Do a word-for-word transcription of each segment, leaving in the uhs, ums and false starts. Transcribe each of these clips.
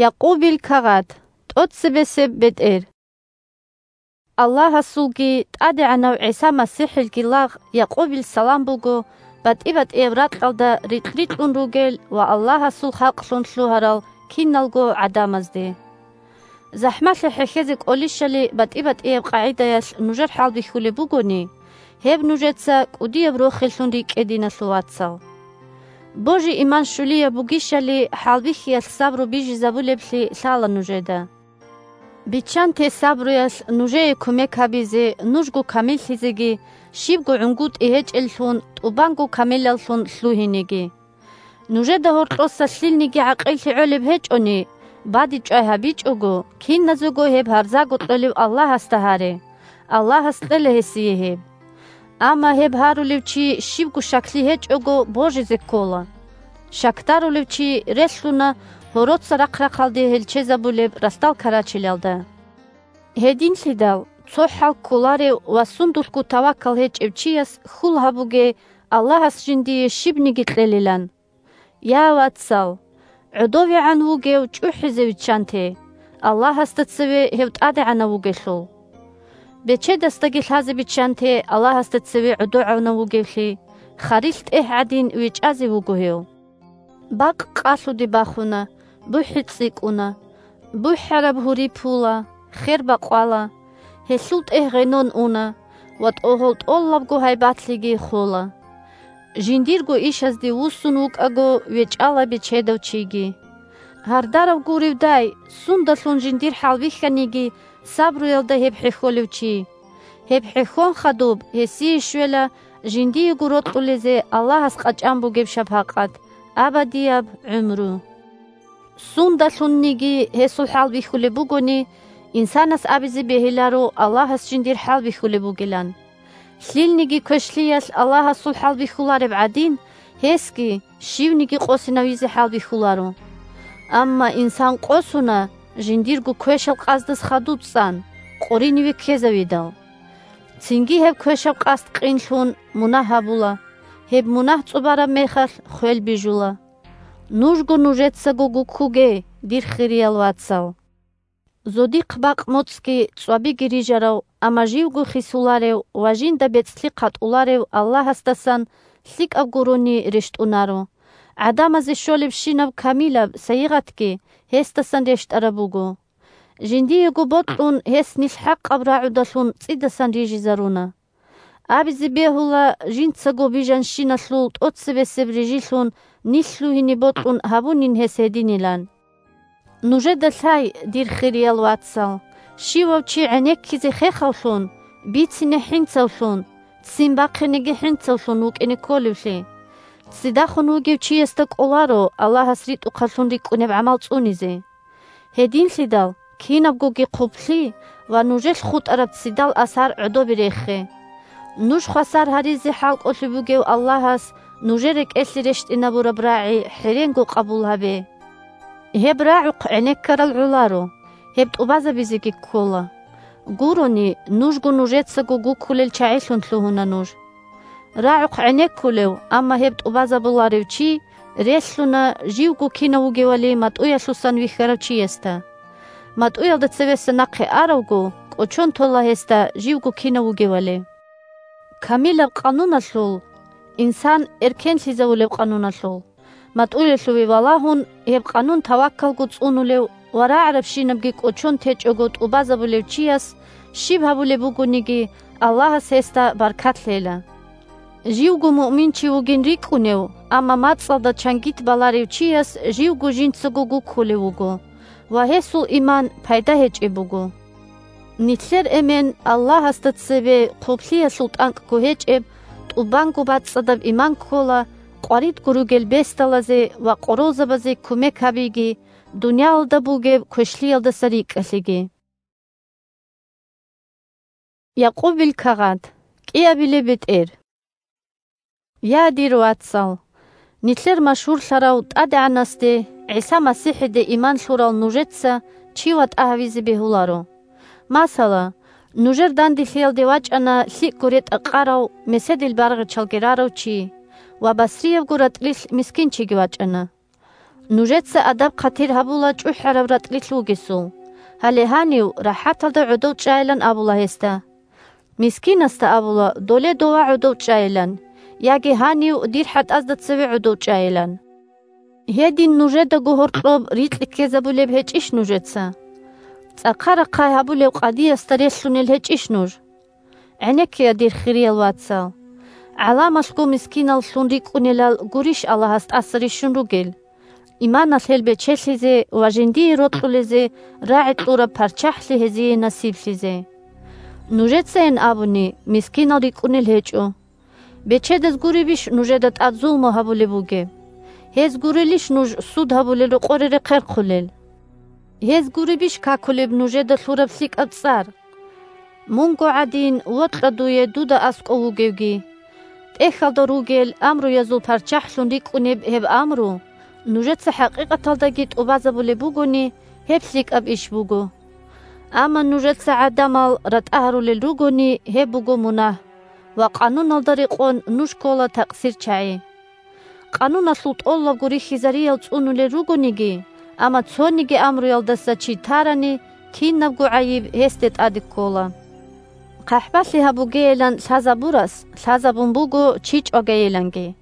Якъубил кагъат, тӀоцебесеб бетӀер. Аллагьасулги ТӀадегӀанав ГӀиса МасихӀилги лагъ Якъубил салам буго, батӀи-батӀияб ракьалда рикь-рикьун ругел ва Аллагьасул халкълъун лъугьарал киналго гӀадамазде. ЗахӀмалъи хӀехьезе кӀолищали батӀи-батӀияб къагӀидаялъ нужер хӀалбихьулеб бугони, гьеб нужеца кӀудияб рохеллъун рикӀкӀе, диналъул вацал. Божи-иман щулияб бугищали хӀалбихьиялъ сабру бижизабулеблъи лъала нужеда. Биччанте сабруялъ нужее кумек гьабизе нужго камиллъизеги, щибго гӀунгутӀи гьечӀеллъун, тӀубанго камилаллъун лъугьинеги. Нужеда гьоркьоса лъилниги гӀакъиллъи гӀолеб гьечӀони, бадибчӀвай гьабичӀого, киназего гьеб гьарзаго кьолев Аллагьасда гьаре, Аллагьас кьела гьесие гьеб. Амма гьеб гьарулев чи щибго щаклъи гьечӀого божизе ккола. Щакдарулев чи релълъуна гьороца рахъ-рахъалде гьелчезабулеб ралъдал карачелалда. Гьединлъидал цо хӀал кколарев ва сундулъго тавакал гьечӀев чияс хьул гьабуге, Аллагьас жиндие щибниги кьелилан. Я, вацал, гӀодовегӀан вугев чӀухӀизе виччанте, Аллагьасда цеве гьев тӀадегӀанав вугелъул. Бечедасдаги лъазе биччанте Аллагьасда цеве гӀодовегӀанав вугевлъи, харилъ тӀегь гӀадин вечӀазе вуго гьев. Бакъ къалъуде бахуна, бухӀи цӀикӀкӀуна, бухӀараб гьури пула, хер бакъвала, гьелъул тӀегь гъенон уна ва тӀогьол тӀолабго гьайбатлъиги хола. Жиндирго ишазде вуссун вукӀаго вечӀала бечедав чиги. Гьардарав гуревдай, сундалъун жиндир хӀалбихьаниги, сабруялда гьеб хӀехьолев чи. Гьеб хӀехьон хадуб гьесие щвела жиндиего рокьулезе Аллагьас къачӀан бугеб шапакъат, абадияб гӀумру. Сундалъунниги гьесул хӀалбихьулеб бугони, инсанас абизе бегьиларо Аллагьас жиндир хӀалбихьулеб бугилан. Лъилниги квешлъиялъ Аллагьасул хӀалбихьулареб гӀадин, гьесги щивниги къосинавизе хӀалбихьуларо. Амма инсан къосуна жиндирго квешал къаздас хадуб цӀан, къориниве ккезавидал. Цинги гьеб квешаб къасд къинлъун мунагь гьабула, гьеб мунагь цӀубараб мехалъ хвел бижула. Нужго нужецаго гуккуге, дир хириял вацал. Зодихъ бакъ моцӀги цӀвабиги рижарав, амма живго хисуларев ва жинда бецӀлъи хъатӀуларев Аллагьасдасан лъикӀаб гурони рещтӀунаро. ГӀадамазе щолебщинаб камилаб сайигъатги гьесдасан рещтӀараб буго. Жиндиего бокьун гьес нилъ хӀакъаб рагӀудалъун цӀидасан рижизаруна. Абизе бегьула, жинцаго бижанщиналъул тӀоцебесеб рижилъун нилъ лъугьине бокьун гьабунин гьес гьединилан. Нужеда лъай, дир хириял вацал, щивав чи гӀенеккизе хехавлъун, бицине хӀинцавлъун, ццин бахъинеги хӀинцавлъун вукӀине кколевлъи. Ццидахун вугев чиясда кӀоларо Аллагьас ритӀухъаллъун рикӀкӀунеб гӀамал цӀунизе. Гьединлъидал кинабгоги хъублъи ва нужелъ хутӀараб ццидал асар гӀодобе рехе. Нуж хвасар гьаризе хӀалкӀолъи бугев Аллагьас нужер рекӀелъе рещтӀинабураб рагӀи хӀеренго къабул гьабе. Гьеб рагӀухъ гӀенеккарал гӀоларо, гьеб тӀубазабизеги ккола. Гурони, нужго нужецаго гуккулел чагӀилъун лъугьуна нуж. РагӀухъ гӀенеккулев, амма гьеб тӀубазабуларев чи релълъуна живго кинав вугевали матӀуялъусан вихьарав чиясда. МатӀуялда цевеса нахъе аравго, кӀочон тола гьесда живго кинав вугевали. Камилаб къануналъул, инсан эркенлъизавулеб къануналъул, матӀуялъуве валагьун, гьеб къанун таваккалго цӀунулев ва рагӀарабщинабги кӀочон течӀого тӀубазабулев чияс щиб гьабулеб бугониги, Аллагьас гьесда баркат лъела. Живго муъминчи вугин рикӀкӀунев, амма мацӀалда чангит баларев чияс живго жинцаго гуккулев вуго ва гьесул иман пайда гьечӀеб буго. Нилъер эмен Аллагьасда цебе хъублъиялъул тӀанкӀго гьечӀеб, тӀубанго бацӀцӀадаб иман ккола, къваридго ругел бесдалазе ва къоролзабазе кумек гьабиги, дуниялалда бугеб квешлъиялдаса рикӀкӀалъиги. Якъубил кагъат. КӀиабилеб бетӀер. Я, дир вацал! Нилъер машгьурлъарав ТӀадегӀанасде, ГӀиса МасихӀиде иман лъурал нужеца чи ватӀа гьавизе бегьуларо. Масала, нужер данделъиялде вачӀана лъикӀго ретӀа-къарав, меседил баргъичалги рарав чи ва басриябго ратӀлилъ мискинчиги вачӀана. Нужеца адаб-хъатир гьабула чӀухӀараб ратӀлилъ вугесул. Гьале гьанив рахӀаталда гӀодов чӀайилан абула гьесда. Мискинасда абула, доле дова гӀодов чӀайилан, яги гьанив дир хӀатӀазда цеве гӀодов чӀайилан. Гьедин нужедаго гьоркьоб рикьи ккезабулеб гьечӀищ нужеца? ЦӀакъа рахъай гьабулев къадиясда релълъунел гьечӀищ нуж? ГӀенеккея, дир хириял вацал. ГӀаламалъго мискиналлъун рикӀкӀунелал гурищ Аллагьас тӀаса рищун ругел? Иманалъ гьел бечелъизе ва жиндие рокьулезе рагӀи кьураб парччахӀлъи гьезие насиблъизе. Нужецайин абуни, мискинал рикӀкӀунел гьечӀо. Бечедаз гуребищ нужеда тӀад зулму гьабулеб бугеб? Гьез гурелищ нуж суд гьабулел рокъоре рехъерхъулел? Гьез гуребищ какулеб нужеда лъураб лъикӀаб цӀар? Мунго гӀадин вокьа дуе дуда аскӀов вугевги. ТӀехьалда ругел амруязул парччахӀлъун рикӀкӀунеб гьеб амру, нужеца хӀакъикъаталдаги тӀубазабулеб бугони, гьеб лъикӀаб иш буго. Амма нужеца гӀадамал ратӀа гьарулел ругони, гьеб буго мунагь, ва къануналда рекъон нуж ккола такъсирчагӀи. Къануналъул тӀолабго рихьизариял цӀунулел ругониги, амма цониги амруялдаса чи тарани, кинабго гӀайиб гьесде тӀаде ккола. ХъахӀбалъи гьабугейилан лъазабурас лъазабун буго чи чӀвагайиланги.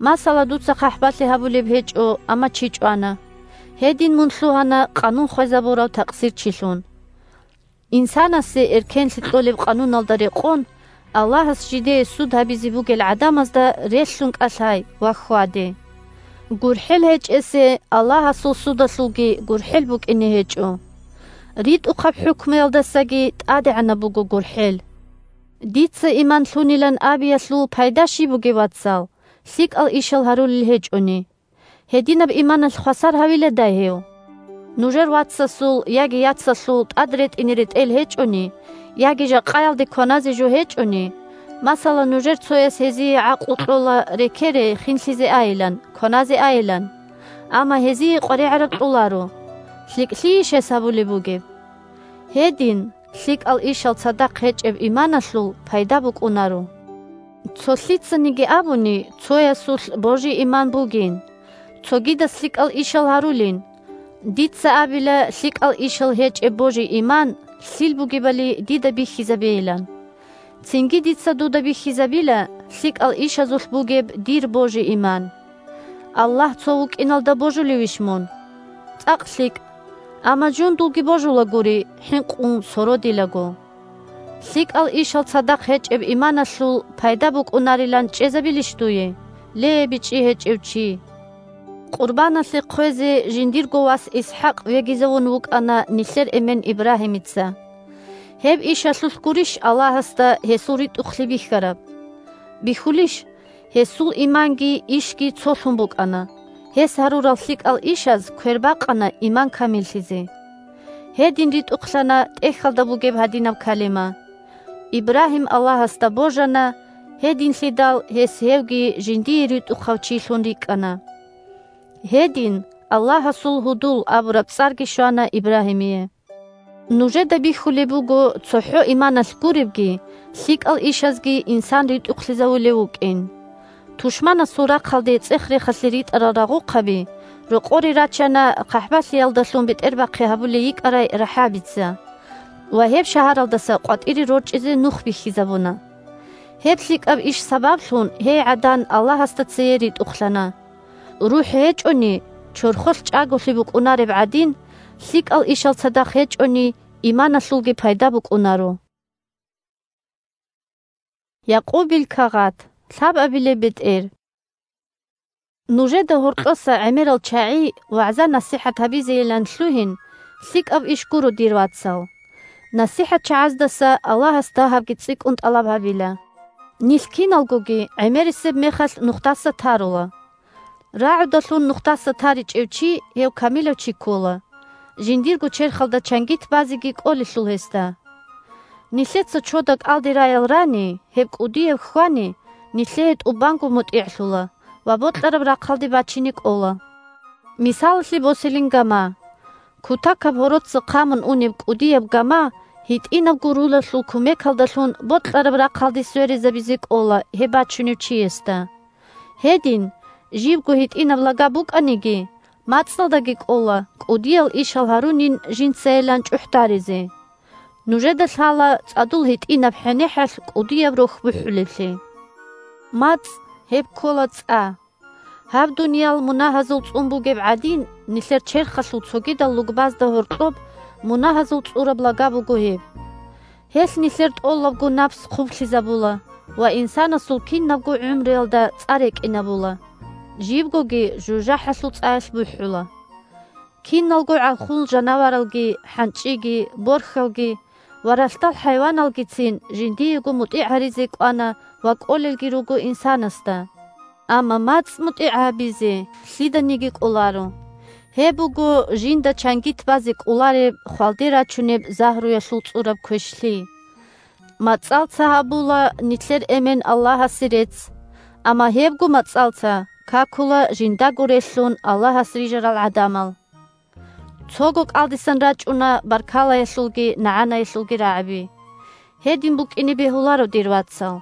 Масала, дуца хъахӀбалъи гьабулеб гьечӀо, амма чи чӀвана. Гьедин мун лъугьана къанун хвезабурав такъсирчилъун. Инсанасе эркенлъи кьолеб къануналда рекъон, Аллагьас жидее суд гьабизе бугел гӀадамазда релълъун кӀалъай ва хьваде. ГурхӀел гьечӀесе Аллагьасул судалъулги гурхӀел букӀине гьечӀо. РитӀухъаб хӀукмуялдасаги тӀадегӀанаб буго гурхӀел. Дица иман лъунилан абиялъул пайда щиб бугеб, вацал, лъикӀал ишал гьарулел гьечӀони? Гьединаб иманалъ хвасар гьавиладай гьев? Нужер вацасул яги яцалъул тӀад ретӀине ретӀел гьечӀони, яги жакъаялде кваназе жо гьечӀони, масала, нужер цояс гьезие гӀакълу кьола рекере хинлъизе айилан, кваназе айилан, амма гьезие къваригӀараб кьоларо, лъикӀлъийищ гьес гьабулеб бугеб? Гьедин, лъикӀал ишал цадахъ гьечӀеб иманалъул пайда букӀунаро. Цо лъицаниги абуни, цоясулъ божи-иман бугин, цогидас лъикӀал ишал гьарулин. Дица абила лъикӀал ишал гьечӀеб божи-иман лъил бугебали дида бихьизабейилан. Цинги дица дуда бихьизабила лъикӀал ишазулъ бугеб дир божи-иман. Аллагь цо вукӀиналда божулевищ мун? ЦӀакъ лъикӀ. Амма жундулги божулагури, хӀинкъун сородилаго. ЛъикӀал ишал цадахъ гьечӀеб иманалъул пайда букӀунарилан чӀезабилищ дуе, ле, бичӀчӀи гьечӀев чи? Къурбаналъе хъвезе жиндирго вас ИсхӀакъ вегизавун вукӀана нилъер эмен Ибрагьимица. Гьеб ишалъулъ гурищ Аллагьасда гьесул ритӀухълъи бихьараб? Бихьулищ? Гьесул иманги ишги цолъун букӀана. Гьес гьарурал лъикӀал ишаз квер бакъана иман камиллъизе. Гьедин ритӀухълъана тӀехьалда бугеб гьадинаб калима: «Ибрагьим Аллагьасда божана, гьединлъидал гьес гьевги жиндие ритӀухъав чилъун рикӀкӀана». Гьедин, «Аллагьасул гьудул» абураб цӀарги щвана Ибрагьимие. Нужеда бихьулеб буго цохӀо иманалъ гуребги, лъикӀал ишазги инсан ритӀухълъизавулев вукӀин. Тушманасул рахъалде цӀех-рехалъе ритӀарал рагъухъаби, рокъоре рачана хъахӀбалъиялдалъун бетӀербахъи гьабулей йикӀарай РахӀабица. Ва гьеб шагьаралдаса къватӀире рорчӀизе нух бихьизабуна. Гьеб лъикӀаб иш сабаблъун гьей гӀадан Аллагьасда цее ритӀухълъана. РухӀ гьечӀони, чорхолъ чӀаголъи букӀунареб гӀадин, лъикӀал ишал цадахъ гьечӀони, иманалъулги пайда букӀунаро. Якъубил кагъат, лъабабилеб бетӀер. Нужеда гьоркьоса гӀемерал чагӀи вагӀза-насихӀат гьабизейилан лъугьин, лъикӀаб иш гуро, дир вацал. НасихӀатчагӀаздаса Аллагьас дагьабги цӀикӀкӀун тӀалаб гьабила. Нилъ киналгоги гӀемерисеб мехалъ нухдаса тарула. РагӀудалъун нухдаса таричӀев чи, гьев камилав чи ккола, жиндирго черхалда чангит базеги кӀолелъул гьесда. Нилъеца чода кӀалдираял рани, гьеб кӀудияб хьвани, нилъее тӀубанго мутӀигӀлъула ва бокьараб рахъалде бачине кӀола. Мисалалъе босилин гама. Кутакаб гьороца хъамун унеб кӀудияб гама гьитӀинабго рулалъул кумекалдалъун бокьараб рахъалде сверизабизе кӀола гьеб бачунев чиясда. Гьедин, живго гьитӀинаб лага букӀаниги, МацӀалдаги кӀола кӀудиял ишал гьарунин жинцайилан чӀухӀдаризе. Нужеда лъала цӀадул гьитӀинаб хӀенехӀалъ кӀудияб рохь бухӀулеблъи. МацӀ гьеб ккола цӀа. Гьаб дуниял мунагьазул цӀун бугеб гӀадин, нилъер черхалъул цогидал лугбазда гьоркьоб мунагьазул цӀураб лага буго гьеб. Гьелъ нилъер тӀолабго напс хъублъизабула ва инсанасул кинабго гӀумруялда цӀа рекӀинабула, жибгоги жужахӀалъул цӀаялъ бухӀула. Киналго гӀалхул жанаваралги, хӀанчӀиги, борхьалги ва ралъдал хӀайваналгицин жиндиего мутӀигӀ гьаризе кӀвана ва кӀолелги руго инсанасда. Амма мацӀ мутӀигӀ гьабизе лъиданиги кӀоларо. Гьеб буго жинда чангит базе кӀолареб хвалде рачунеб загьруялъул цӀураб квешлъи. МацӀалца гьабула нилъер эмен Аллагьасе рецц, амма гьебго мацӀалца какула жиндаго релълъун Аллагьас рижарал гӀадамал. Цого кӀалдисан рачӀуна баркалаялъулги нагӀанаялъулги рагӀаби. Гьедин букӀине бегьуларо, дир вацал.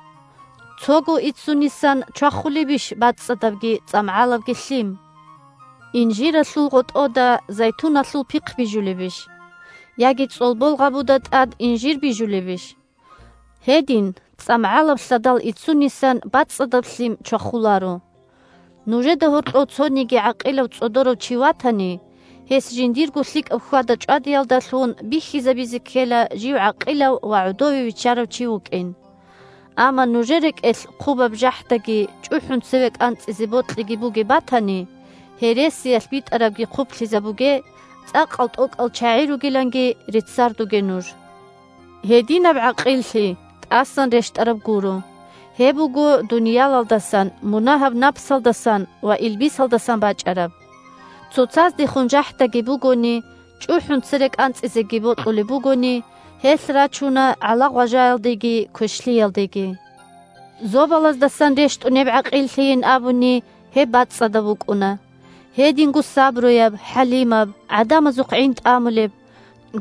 Цого иццунисан чвахулебищ бацӀцӀадабги цӀамгӀалабги лъим? Инжиралъул гъотӀода зайтуналъул пихъ бижулебищ? Яги цӀолбол гъабуда тӀад инжир бижулебищ? Гьедин, цӀамгӀалаб лъадал иццунисан бацӀцӀадаб лъим чвахуларо. Нужеда гьоркьов цониги гӀакъилав цӀодорав чи ватани, гьес жиндирго лъикӀаб хьвада-чӀвадиялдалъун бихьизабизе ккела жив гӀакъилав ва гӀодове виччарав чи вукӀин. Амма нужер рекӀелъ хъубаб жахӀдаги чӀухӀун цеве кӀанцӀизе бокьиги бугеб батани, гьересиялъ битӀарабги хъублъизабуге, цӀакъал тӀокӀал чагӀи ругиланги реццардуге нуж. Гьединаб гӀакъиллъи тӀасан рещтӀараб гуро. Гьеб буго дуниялалдасан, мунагьаб напсалдасан ва илбисалдасан бачӀараб. Цоцаздехун жахӀдаги бугони, чӀухӀун цере кӀанцӀизеги бокьулеб бугони, гьелъ рачуна гӀалагъважаялдеги квешлъиялдеги. Зобалаздасан рещтӀунеб гӀакъиллъийин абуни, гьеб бацӀцӀадаб букӀуна. Гьединго сабруяб, хӀалимаб, гӀадамазухъ гӀин тӀамулеб,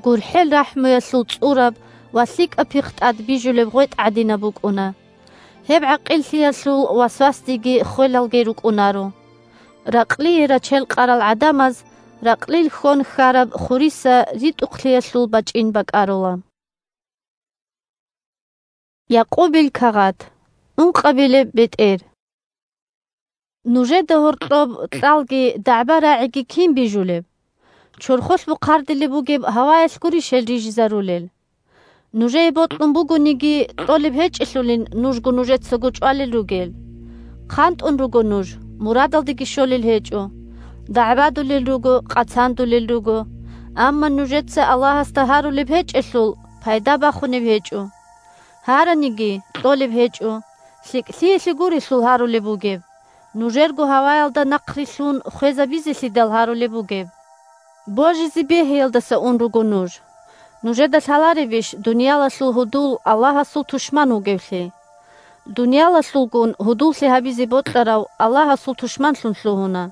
гурхӀел-рахӀмуялъул цӀураб ва лъикӀаб пихъ тӀад бижулеб гъветӀ гӀадинаб букӀуна. Гьеб гӀакъиллъиялъул васвасдеги хвелалги рукӀунаро. Ракълие рачел къарал гӀадамаз ракълил хьон хьараб хуриса ритӀухълъиялъул бачӀин бакӀарула. Якъубил кагъат. Ункъабилеб бетӀер. Нужеда гьоркьоб кьалги дагӀба-рагӀиги кин бижулеб? Чорхолъ бухъардилеб бугеб гьаваялъ гурищ гьел рижизарулел? Нужее бокьун бугониги, кьолеб гьечӀелъулин нужго нужецаго чӀвалел ругел. ХъантӀун руго нуж, мурадалдеги щолел гьечӀо, дагӀбадулел руго, къацандулел руго, амма нужеца Аллагьасда гьарулеб гьечӀелъул, пайда бахунеб гьечӀо. Гьараниги, кьолеб гьечӀо, лъикӀлъиялъе гурелъул гьарулеб бугеб, нужерго гьаваялда нахърилълъун хвезабизелъидал гьарулеб бугеб. Божизе бегьиялдаса ун руго нуж. Нужеда лъаларебищ дуниялалъул гьудул Аллагьасул тушман вугевлъи? Дуниялалъулгун гьудуллъи гьабизе бокьарав Аллагьасул тушманлъун лъугьуна.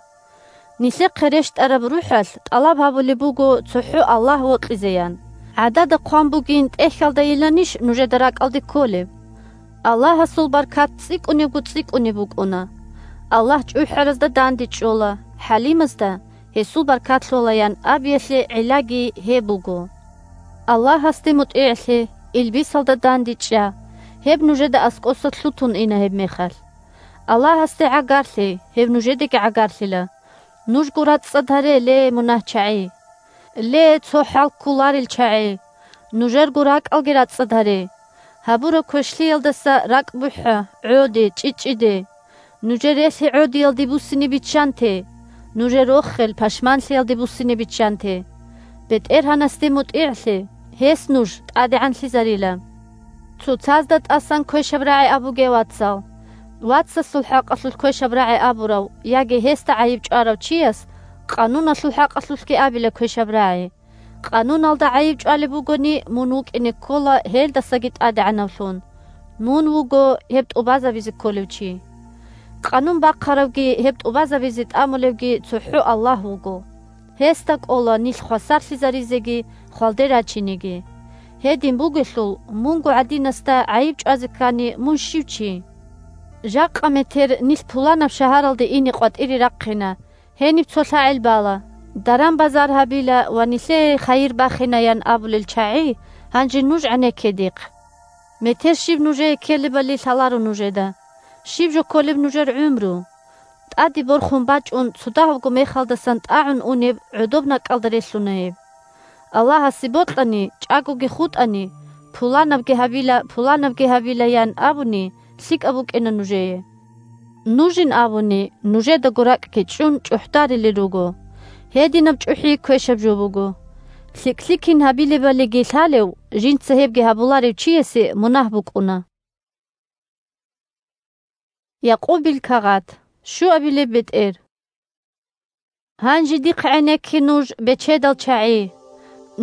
Нилъехъе рещтӀараб рухӀалъ тӀалаб гьабулеб буго цохӀо Аллагь вокьизеян. ГӀадада хъван бугин тӀехьалдайиланищ нужеда ракӀалде кколеб? Аллагьасул баркат цӀикӀкӀунебго цӀикӀкӀунеб букӀуна. Аллагь чӀухӀаразда дандечӀола, хӀалимазда гьесул баркат лъолаян абиялъе гӀиллаги гьеб буго. Аллагьасде мутӀигӀлъе, илбисалда дандечӀа, гьеб нужеда аскӀоса лъутун ина гьебмехалъ. Аллагьасде гӀагарлъе, гьеб нужедаги гӀагарлъила. Нужго рацӀцӀад гьаре, ле, мунагьчагӀи! Ле, цо хӀал кколарел чагӀи! Нужерго ракӀалги рацӀцӀад гьаре. Гьабураб квешлъиялдаса ракӀ бухӀа, гӀоде, чӀичӀчӀиде. Нужер релъи гӀодиялде буссине биччанте, нужер рохел пашманлъиялде буссине биччанте. БетӀергьанасде мутӀигӀлъе, гьес нуж тӀадегӀанлъизарила. Цоцазда тӀасан квешаб рагӀи абуге, вацал. Вацасул хӀакъалъулъ квешаб рагӀи абурав яги гьесда гӀайиб чӀварав чияс Къануналъул хӀакъалъулъги абила квешаб рагӀи. Къануналда гӀайиб чӀвалеб бугони, мун вукӀине ккола гьелдасаги тӀадегӀанавлъун. Мун вуго гьеб тӀубазабизе кколев чи. Къанун бахъаравги гьеб тӀубазабизе тӀамулевги цохӀо Аллагь вуго. Гьесда кӀола нилъ хвасарлъизаризеги хвалде рачинеги. Гьедин бугелъул, мунго гӀадинасда гӀайиб чӀвазе ккани, мун щив чи? Жакъа метер нилъ пуланаб шагьаралде ине къватӀире рахъина, Гьениб цо лъагӀел бала: «Даран-базар гьабила ва нилъее хайир бахинаян» абулел чагӀи гьанже нуж гӀенекке дихъ. Метер щиб нужее ккелебали лъаларо нужеда. Щиб жо кколеб нужер гӀумру? ТӀаде борхун бачӀун, цо дагьабго мехалдасан тӀагӀун унеб гӀодоб накӀкӀалда релълъуна гьеб. Аллагьасе бокьани, чӀагоги хутӀани, пуланабги гьабила, пуланабги гьабилаян абуни, лъикӀаб букӀина нужее. Нужин абуни, нужедаго ракӀги чӀун чӀухӀдарилел руго. Гьединаб чӀухӀи квешаб жо буго. ЛъикӀлъи кин гьабилебалиги лъалев, жинца гьебги гьабуларев чиясе мунагь букӀуна. Якъубил кагъат. Щуабилеб бетӀер. Гьанже дихъ гӀенекке нуж, бечедал чагӀи.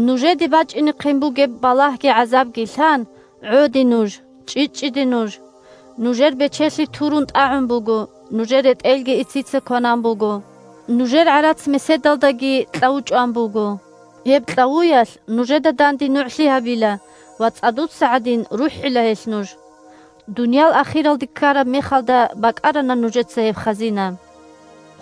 Нужеде бачӀинехъин бугеб балагьги гӀазабги лъан, гӀоде нуж, чӀичӀчӀиде нуж. Нужер бечелъи турун тӀагӀун буго, нужер ретӀелги ицица кванан буго. Нужер гӀарац меседалдаги кьаву чӀван буго. Гьеб кьавуялъ нужеда данде нугӀлъи гьабила ва цӀадуца гӀадин рухӀила гьелъ нуж. Дуниял ахиралде ккараб мехалда бакӀарана нужеца гьеб хазина.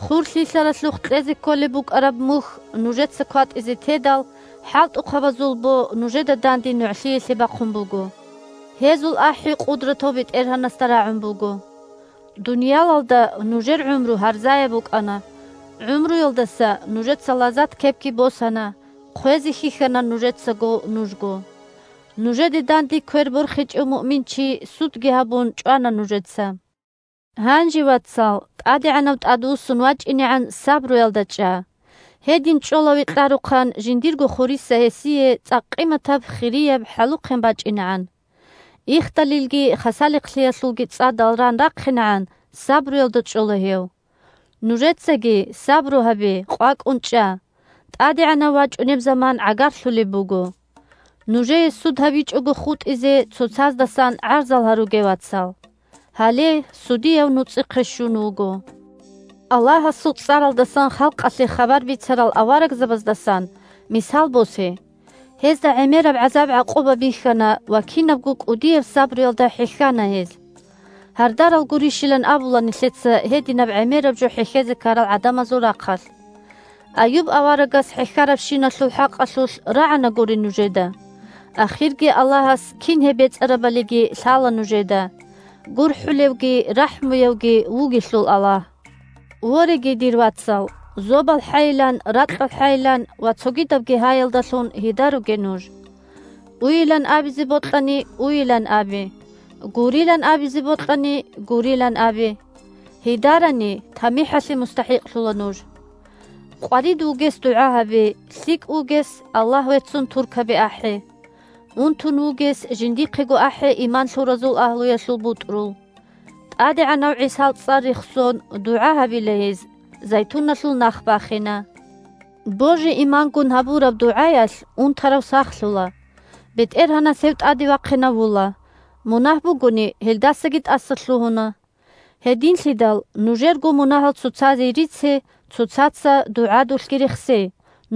Хур лъилъаралъухъ кьезе кколеб букӀараб мухь нужеца кватӀизе тедал, хӀалтӀухъабазул бо нужеда данде нугӀлъиялъе бахъун буго. Гьезул ахӀи къудратав БетӀергьанасда рагӀун буго. Дуниялалда нужер гӀумру гьарзаяб букӀана, гӀумруялдаса нужеца лазат кепги босана, хъвезе хьихьана нужецаго нужго. Нужеде данде квер борхичӀев муъминчи судги гьабун чӀвана нужеца. Гьанже, вацал, ТӀадегӀанав тӀадвуссун вачӀинегӀан сабруялда чӀа. Гьедин чӀола векьарухъан жиндирго хуриса гьесие цӀакъ къиматаб хирияб хӀалухъен бачӀинегӀан. Ихдалилги хасалихълъиялъулги цӀадал ран рахъинегӀан сабруялда чӀола гьев. Нужецаги сабру гьабе, къвакӀун чӀа. ТӀадегӀанав вачӀунеб заман гӀагарлъулеб буго. Нужее суд гьабичӀого хутӀизе цоцаздасан гӀарзал гьаруге, вацал. Гьале судияв нуцӀихъе щун вуго. Аллагьасул цӀаралдасан халкъалъе хабар бицарал аварагзабаздасан мисал босе. Гьезда гӀемераб гӀазаб-гӀакъуба бихьана ва кинабго кӀудияб сабруялда хӀехьана гьез. Гьардарал гурищилан абула нилъеца гьединаб гӀемераб жо хӀехьезе ккарал гӀадамазул рахъалъ. Аюб аварагас хӀехьарабщиналъул хӀакъалъулъ рагӀана гури нужеда. Ахирги Аллагьас кин гьеб бецӀарабалиги лъала нужеда. ГурхӀулевги рахӀмуявги вугелъул Аллагь. Вореги, дир вацал, зобалхӀайилан, ракьалхӀайилан ва цогидабги гьаялдалъун гьида руге нуж. Уйилан абизе бокьани, уйилан абе. Гурилан абизе бокьани, гурилан абе. Гьидарани, тамихӀалъе мустахӀикълъула нуж. Къварид вугес дугӀа гьабе, лъикӀ вугес Аллагь веццун туркаби ахӀе. Унтун вугес жиндихъего ахӀе иман лъуразул агьлуялъул бутӀрул. ТӀадегӀанав ГӀисал цӀар рехсон дугӀа гьабила гьез, зайтуналъул нах бахина. Божи-имангун гьабураб дугӀаялъ унтарав сахлъула. БетӀергьанас гьев тӀаде вахъинавула. Мунагь бугони, гьелдасаги тӀаса лъугьуна. Гьединлъидал нужерго мунагьал цоцазе рице, цоцаца дугӀадулъги рехсе,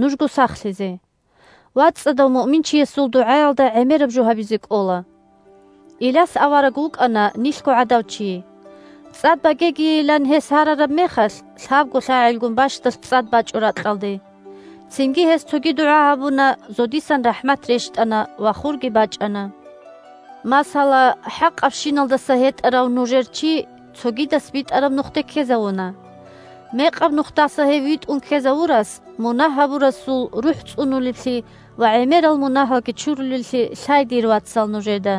нужго сахлъизе. ВацӀцӀадав муъминчиясул дугӀаялда гӀемераб жо гьабизе кӀола. Иляс авараг вукӀана нилъго гӀадав чи. ЦӀад багегийилан гьес гьарараб мехалъ, лъабго лъагӀелгун бащдалъ цӀад бачӀо ракьалде. Цинги гьес цоги дугӀа гьабуна, зодисан рахӀмат рещтӀана ва хурги бачӀана. Масала, хӀакъабщиналдаса гьетӀарав нужер чи цогидас битӀараб нухде ккезавуна. Мекъаб нухдаса гьев витӀун ккезавурас мунагь гьабурасул рухӀ цӀунулеблъи ва гӀемерал мунагьалги чурулеблъи лъай, дир вацал, нужеда.